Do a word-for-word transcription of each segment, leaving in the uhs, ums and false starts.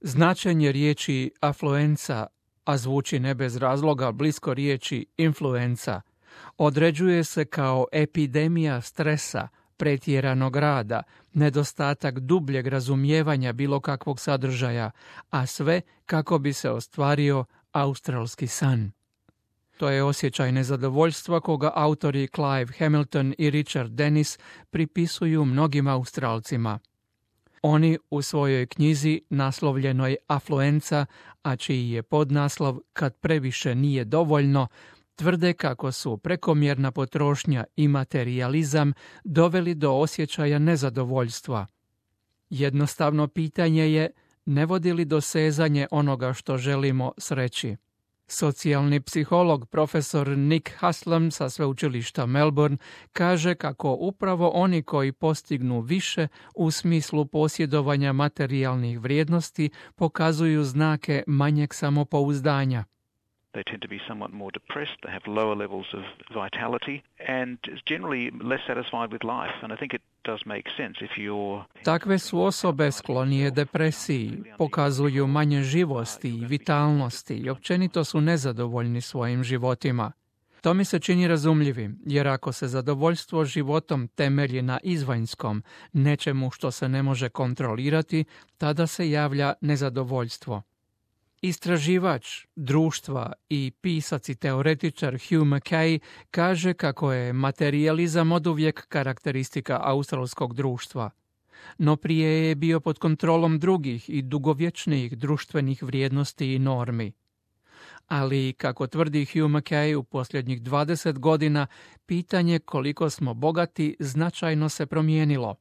Značenje riječi afluenca, a zvuči ne bez razloga blisko riječi influenca, određuje se kao epidemija stresa, pretjeranog rada, nedostatak dubljeg razumijevanja bilo kakvog sadržaja, a sve kako bi se ostvario australski san. To je osjećaj nezadovoljstva koga autori Clive Hamilton i Richard Dennis pripisuju mnogim Australcima. Oni u svojoj knjizi naslovljenoj Afluenca, a čiji je podnaslov Kad previše nije dovoljno, tvrde kako su prekomjerna potrošnja i materijalizam doveli do osjećaja nezadovoljstva. Jednostavno pitanje je, ne vodi li dosezanje onoga što želimo sreći? Socijalni psiholog profesor Nick Haslam sa sveučilišta Melbourne kaže kako upravo oni koji postignu više u smislu posjedovanja materijalnih vrijednosti pokazuju znake manjeg samopouzdanja. They tend to be somewhat more depressed, they have lower levels of vitality and generally less satisfied with life. And I think it does make sense if you're... Takve su osobe sklonije depresiji, pokazuju manje živosti i vitalnosti i općenito su nezadovoljni svojim životima. To mi se čini razumljivim, jer ako se zadovoljstvo životom temelji na izvanjskom, nečemu što se ne može kontrolirati, tada se javlja nezadovoljstvo. Istraživač društva i pisac i teoretičar Hugh Mackay kaže kako je materijalizam oduvijek karakteristika australskog društva, no prije je bio pod kontrolom drugih i dugovječnijih društvenih vrijednosti i normi. Ali, kako tvrdi Hugh Mackay, u posljednjih dvadeset godina pitanje koliko smo bogati značajno se promijenilo.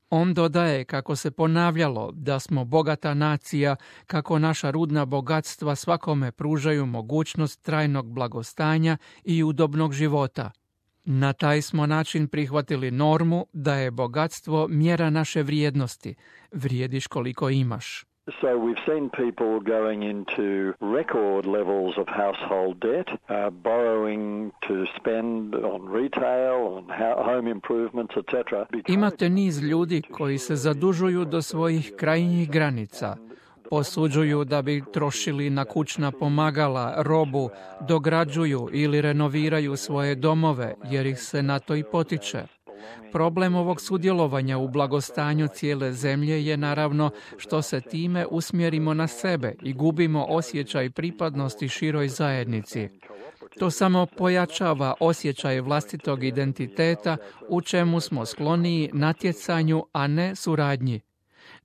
On dodaje kako se ponavljalo da smo bogata nacija, kako naša rudna bogatstva svakome pružaju mogućnost trajnog blagostanja i udobnog života. Na taj smo način prihvatili normu da je bogatstvo mjera naše vrijednosti, vrijediš koliko imaš. So we've seen people going into record levels of household debt, uh, borrowing to spend on retail, on home improvements, et cetera. Imate niz ljudi koji se zadužuju do svojih krajnjih granica. Posuđuju da bi trošili na kućna pomagala, robu, dograđuju ili renoviraju svoje domove jer ih se na to i potiče. Problem ovog sudjelovanja u blagostanju cijele zemlje je naravno što se time usmjerimo na sebe i gubimo osjećaj pripadnosti široj zajednici. To samo pojačava osjećaj vlastitog identiteta u čemu smo skloniji natjecanju, a ne suradnji.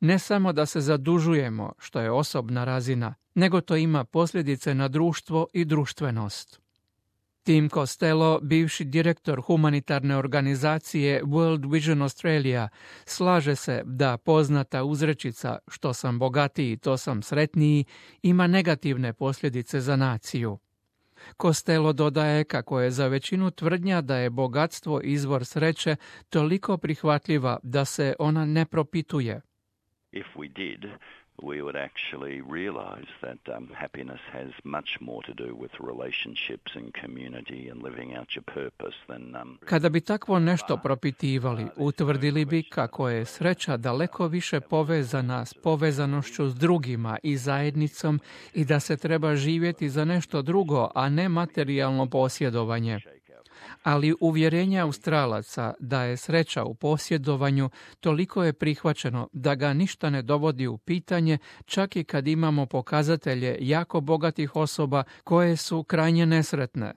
Ne samo da se zadužujemo, što je osobna razina, nego to ima posljedice na društvo i društvenost. Tim Costello, bivši direktor humanitarne organizacije World Vision Australia, slaže se da poznata uzrečica što sam bogatiji, to sam sretniji, ima negativne posljedice za naciju. Costello dodaje kako je za većinu tvrdnja da je bogatstvo izvor sreće toliko prihvatljiva da se ona ne propituje. If we did, we would actually realize that um, happiness has much more to do with relationships and community and living out your purpose than... Um... Kada bi takvo nešto propitivali, utvrdili bi kako je sreća daleko više povezana s povezanošću s drugima i zajednicom i da se treba živjeti za nešto drugo, a ne materijalno posjedovanje. Ali uvjerenje Australaca da je sreća u posjedovanju toliko je prihvaćeno da ga ništa ne dovodi u pitanje, čak i kad imamo pokazatelje jako bogatih osoba koje su krajnje nesretne.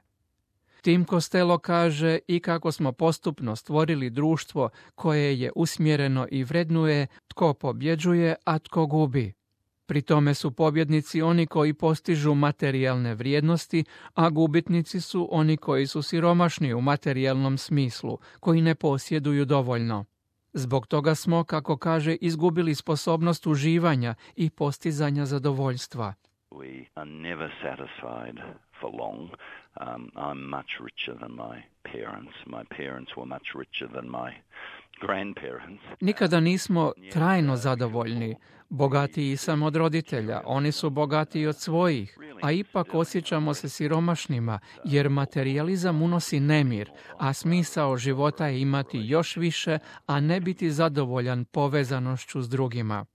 Tim Costello kaže i kako smo postupno stvorili društvo koje je usmjereno i vrednuje tko pobjeđuje, a tko gubi. Pri tome su pobjednici oni koji postižu materijalne vrijednosti, a gubitnici su oni koji su siromašni u materijalnom smislu, koji ne posjeduju dovoljno. Zbog toga smo, kako kaže, izgubili sposobnost uživanja i postizanja zadovoljstva. We are never satisfied for long. Um, I'm much richer than my parents. My parents were much richer than my grandparents. Nikada nismo trajno zadovoljni. Bogatiji sam od roditelja, oni su bogatiji od svojih, a ipak osjećamo se siromašnima, jer materijalizam unosi nemir, a smisao života je imati još više, a ne biti zadovoljan povezanošću s drugima.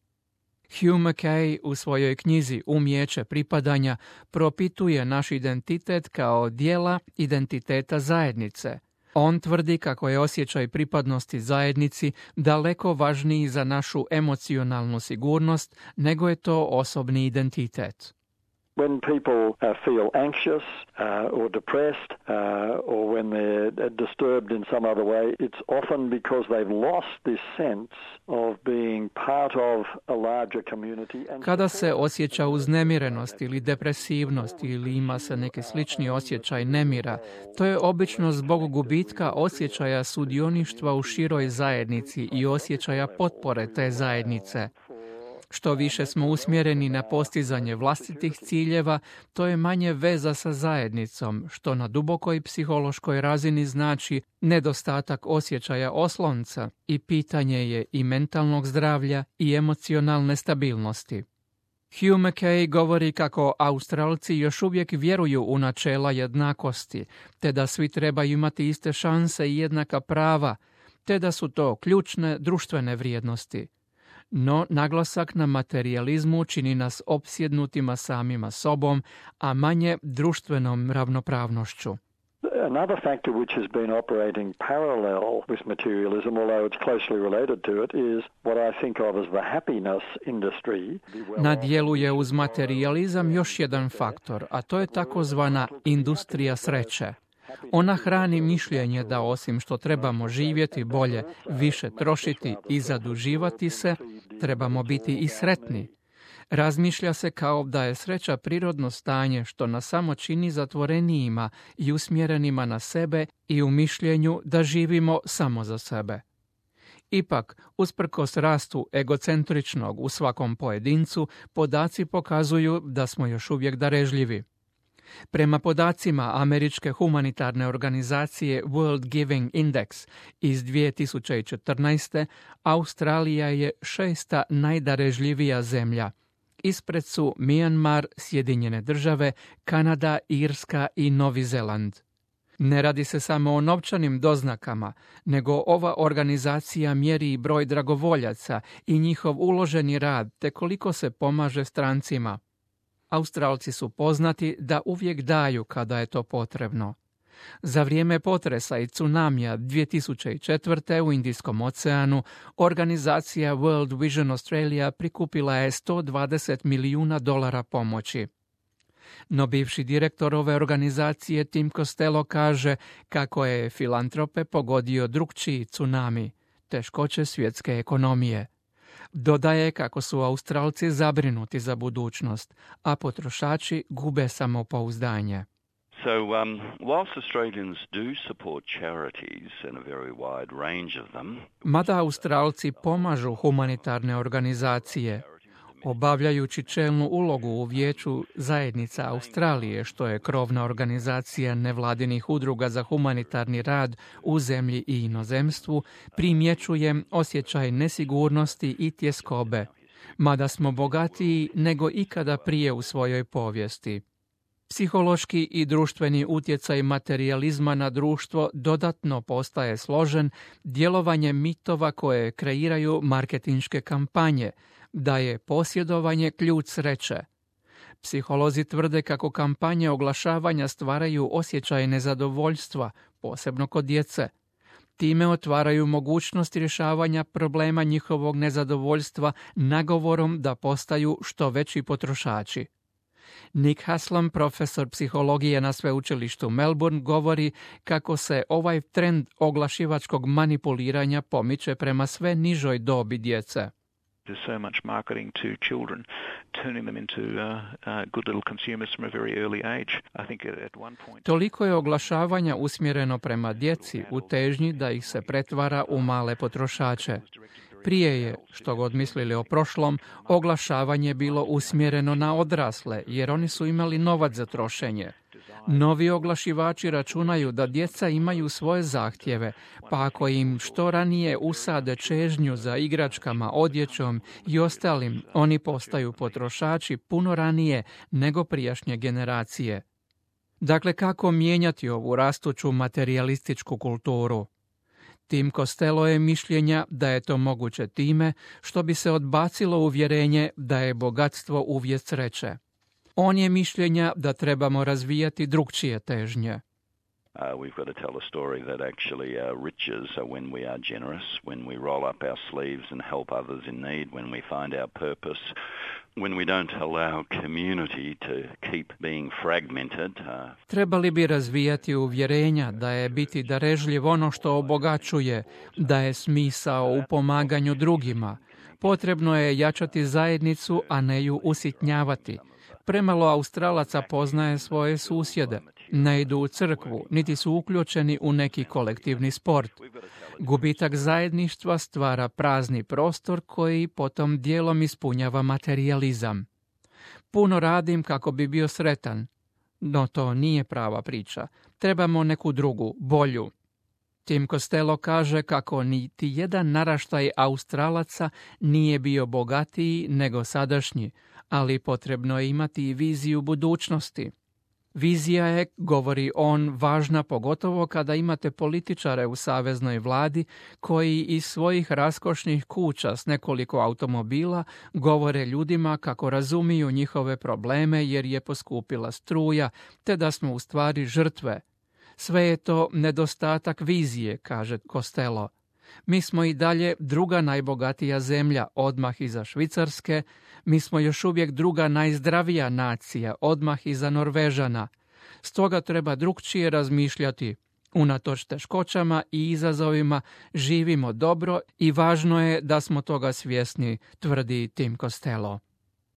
Hugh Mackay u svojoj knjizi Umijeće pripadanja propituje naš identitet kao dijela identiteta zajednice. On tvrdi kako je osjećaj pripadnosti zajednici daleko važniji za našu emocionalnu sigurnost nego je to osobni identitet. When people uh, feel anxious uh, or depressed uh, or when they're disturbed in some other way, it's often because they've lost this sense of being part of a larger community. And kada se osjeća uznemirenost ili depresivnost ili ima se neki slični osjećaj nemira, to je obično zbog gubitka osjećaja sudioništva u široj zajednici i osjećaja potpore te zajednice. Što više smo usmjereni na postizanje vlastitih ciljeva, to je manje veza sa zajednicom, što na dubokoj psihološkoj razini znači nedostatak osjećaja oslonca i pitanje je i mentalnog zdravlja i emocionalne stabilnosti. Hugh Mackay govori kako Australci još uvijek vjeruju u načela jednakosti, te da svi trebaju imati iste šanse i jednaka prava, te da su to ključne društvene vrijednosti. No, naglasak na materijalizmu čini nas opsjednutima samima sobom, a manje društvenom ravnopravnošću. Another factor which has been operating parallel with materialism, although it's closely related to it, is what I think of as the happiness industry. Na dijelu je uz materijalizam još jedan faktor, a to je takozvana industrija sreće. Ona hrani mišljenje da osim što trebamo živjeti bolje, više trošiti i zaduživati se, trebamo biti i sretni. Razmišlja se kao da je sreća prirodno stanje što nas samo čini zatvorenijima i usmjerenima na sebe i u mišljenju da živimo samo za sebe. Ipak, usprkos rastu egocentričnog u svakom pojedincu, podaci pokazuju da smo još uvijek darežljivi. Prema podacima američke humanitarne organizacije World Giving Index iz dvije tisuće četrnaeste. Australija je šesta najdarežljivija zemlja. Ispred su Mijanmar, Sjedinjene države, Kanada, Irska i Novi Zeland. Ne radi se samo o novčanim doznakama, nego ova organizacija mjeri i broj dragovoljaca i njihov uloženi rad te koliko se pomaže strancima. Australci su poznati da uvijek daju kada je to potrebno. Za vrijeme potresa i tsunamija dvije tisuće četvrte. u Indijskom oceanu, organizacija World Vision Australia prikupila je sto dvadeset milijuna dolara pomoći. No bivši direktor ove organizacije Tim Costello kaže kako je filantrope pogodio drukčiji tsunami, teškoće svjetske ekonomije. Dodaje kako su Australci zabrinuti za budućnost, a potrošači gube samopouzdanje. So, um, whilst Australians do support charities and a very wide range of them, Mada Australci pomažu humanitarne organizacije, obavljajući čelnu ulogu u Vijeću zajednica Australije, što je krovna organizacija nevladinih udruga za humanitarni rad u zemlji i inozemstvu, primjećujem osjećaj nesigurnosti i tjeskobe, mada smo bogatiji nego ikada prije u svojoj povijesti. Psihološki i društveni utjecaj materijalizma na društvo dodatno postaje složen djelovanjem mitova koje kreiraju marketinške kampanje, da je posjedovanje ključ sreće. Psiholozi tvrde kako kampanje oglašavanja stvaraju osjećaj nezadovoljstva, posebno kod djece. Time otvaraju mogućnost rješavanja problema njihovog nezadovoljstva nagovorom da postaju što veći potrošači. Nick Haslam, profesor psihologije na sveučilištu Melbourne, govori kako se ovaj trend oglašivačkog manipuliranja pomiče prema sve nižoj dobi djece. There's so much marketing to children, turning them into uh, uh, good little consumers from a very early age. I think at, at one point... Toliko je oglašavanja usmjereno prema djeci u težnji da ih se pretvara u male potrošače. Prije je, što god mislili o prošlom, oglašavanje bilo usmjereno na odrasle, jer oni su imali novac za trošenje. Novi oglašivači računaju da djeca imaju svoje zahtjeve, pa ako im što ranije usade čežnju za igračkama, odjećom i ostalim, oni postaju potrošači puno ranije nego prijašnje generacije. Dakle, kako mijenjati ovu rastuću materijalističku kulturu? Tim Costello je mišljenja da je to moguće time što bi se odbacilo uvjerenje da je bogatstvo uvjet sreće. On je mišljenja da trebamo razvijati drukčije težnje. Uh, we've got to tell a story that actually uh, riches are when we are generous, when we roll up our sleeves and help others in need, when we find our purpose, when we don't allow community to keep being fragmented. Uh... Trebali bi razvijati uvjerenja da je biti darežljiv ono što obogaćuje, da je smisao u pomaganju drugima. Potrebno je jačati zajednicu, a ne ju usitnjavati. Premalo Australaca poznaje svoje susjede, ne idu u crkvu, niti su uključeni u neki kolektivni sport. Gubitak zajedništva stvara prazni prostor koji potom dijelom ispunjava materijalizam. Puno radim kako bi bio sretan, no to nije prava priča. Trebamo neku drugu, bolju. Tim Costello kaže kako niti jedan naraštaj Australaca nije bio bogatiji nego sadašnji, ali potrebno je imati i viziju budućnosti. Vizija je, govori on, važna pogotovo kada imate političare u saveznoj vladi koji iz svojih raskošnih kuća s nekoliko automobila govore ljudima kako razumiju njihove probleme jer je poskupila struja, te da smo u stvari žrtve. Sve je to nedostatak vizije, kaže Costello. Mi smo i dalje druga najbogatija zemlja, odmah iza Švicarske, mi smo još uvijek druga najzdravija nacija, odmah iza Norvežana. Stoga treba drukčije razmišljati. Unatoč teškoćama i izazovima živimo dobro i važno je da smo toga svjesni, tvrdi Tim Costello.